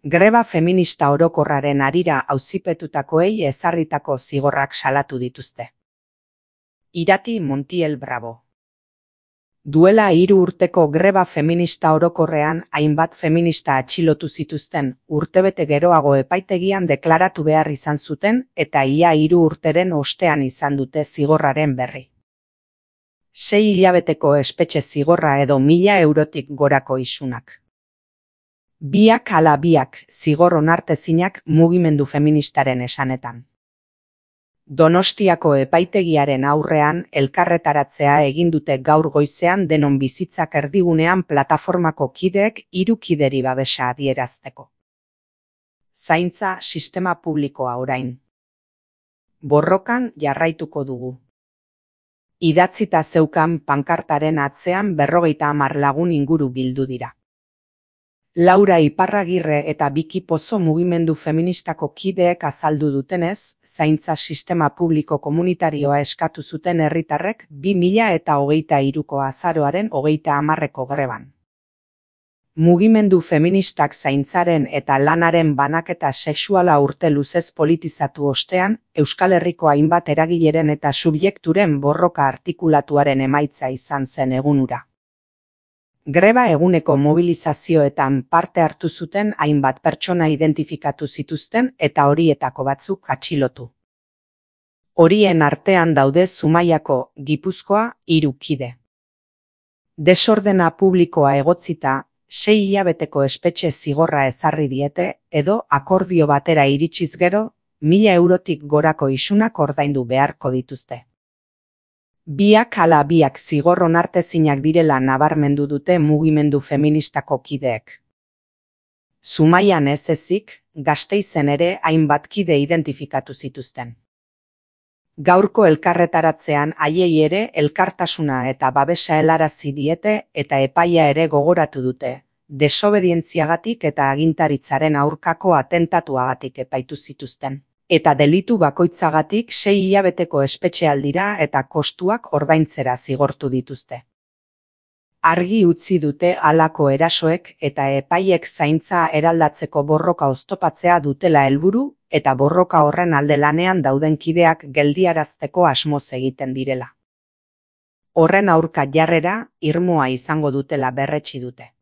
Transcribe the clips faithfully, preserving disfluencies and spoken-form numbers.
Greba feminista orokorraren harira auzipetutakoei ezarritako zigorrak salatu dituzte. Irati Montiel Bravo. Duela hiru urteko greba feminista orokorrean hainbat feminista atxilotu zituzten, urtebete geroago epaitegian deklaratu behar izan zuten eta ia hiru urteren ostean izan dute zigorraren berri. Sei hilabeteko espetxe zigorra edo mila eurotik gorako isunak. Biak ala biak zigor onartezinak mugimendu feministaren esanetan. Donostiako epaitegiaren aurrean elkarretaratzea egin dute gaur goizean Denon Bizitzak erdigunean plataformako kideek hiru kideri babesa adierazteko. Zaintza sistema publikoa orain. Borrokan jarraituko dugu. Idatzita zeukan pankartaren atzean berrogeita hamar lagun inguru bildu dira. Laura Iparragirre eta Biki Pozo mugimendu feministako kideek azaldu dutenez, zaintza sistema publiko komunitarioa eskatu zuten herritarrek bi mila eta hogeita hiruko azaroaren hogeita hamarreko greban. Mugimendu feministak zaintzaren eta lanaren banaketa sexuala urte luzez politizatu ostean, Euskal Herriko hainbat eragileren eta subjekturen borroka artikulatuaren emaitza izan zen egun hura. Greba eguneko mobilizazioetan parte hartu zuten hainbat pertsona identifikatu zituzten eta horietako batzuk atxilotu. Horien artean daude Zumaiako, Gipuzkoa, hiru kide. Desordena publikoa egotzita, sei hilabeteko espetxe zigorra ezarri diete edo akordio batera iritsiz gero, mila eurotik gorako isunak ordaindu beharko dituzte. Biak ala biak zigor onartezinak direla nabarmendu dute mugimendu feministako kideek. Zumaian ez ezik, Gasteizen ere hainbat kide identifikatu zituzten. Gaurko elkarretaratzean haiei ere elkartasuna eta babesa helarazi diete eta epaia ere gogoratu dute, desobedientziagatik eta agintaritzaren aurkako atentatuagatik epaitu zituzten. Eta delitu bakoitzagatik sei hilabeteko espetxealdira eta kostuak ordaintzera zigortu dituzte. Argi utzi dute halako erasoek eta epaiek zaintza eraldatzeko borroka oztopatzea dutela helburu eta borroka horren alde lanean dauden kideak geldiarazteko asmoz egiten direla. Horren aurka jarrera irmoa izango dutela berretsi dute.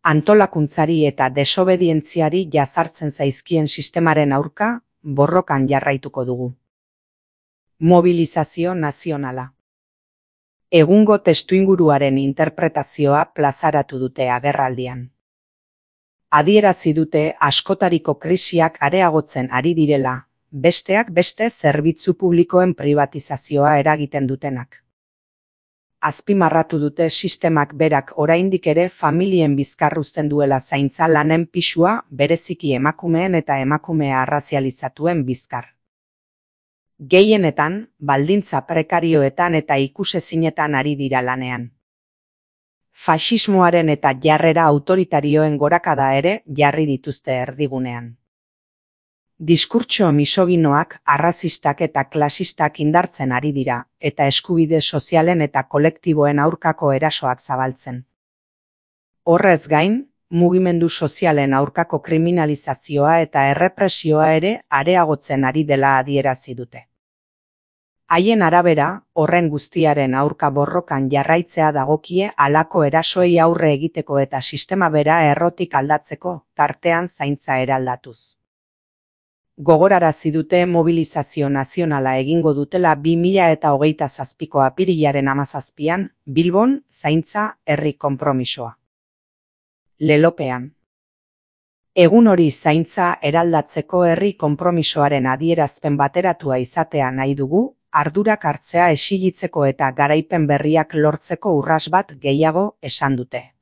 Antolakuntzari eta desobedientziari jazartzen zaizkien sistemaren aurka, borrokan jarraituko dugu. Mobilizazio nazionala. Egungo testuinguruaren interpretazioa plazaratu dute agerraldian. Adierazi dute askotariko krisiak areagotzen ari direla, besteak beste zerbitzu publikoen pribatizazioa eragiten dutenak. Azpimarratu dute sistemak berak oraindik ere familien bizkar uzten duela zaintza lanen pisua bereziki emakumeen eta emakumea arrazializatuen bizkar. Gehienetan, baldintza prekarioetan eta ikusezinetan ari dira lanean. Faxismoaren eta jarrera autoritarioen gorakada ere jarri dituzte erdigunean. Diskurtso misoginoak, arrazistak eta klasistak indartzen ari dira, eta eskubide sozialen eta kolektiboen aurkako erasoak zabaltzen. Horrez gain, mugimendu sozialen aurkako kriminalizazioa eta errepresioa ere areagotzen ari dela adierazi dute. Haien arabera, horren guztiaren aurka borrokan jarraitzea dagokie halako erasoei aurre egiteko eta sistema bera errotik aldatzeko, tartean zaintza eraldatuz. Gogorarazi dute mobilizazio nazionala egingo dutela bi mila eta hogeita zazpiko apirilaren hamazazpian, Bilbon, zaintza, herri konpromisoa. Lelopean. Egun hori zaintza eraldatzeko herri konpromisoaren adierazpen bateratua izatea nahi dugu, ardurak hartzea exilitzeko eta garaipen berriak lortzeko urras bat gehiago esan dute.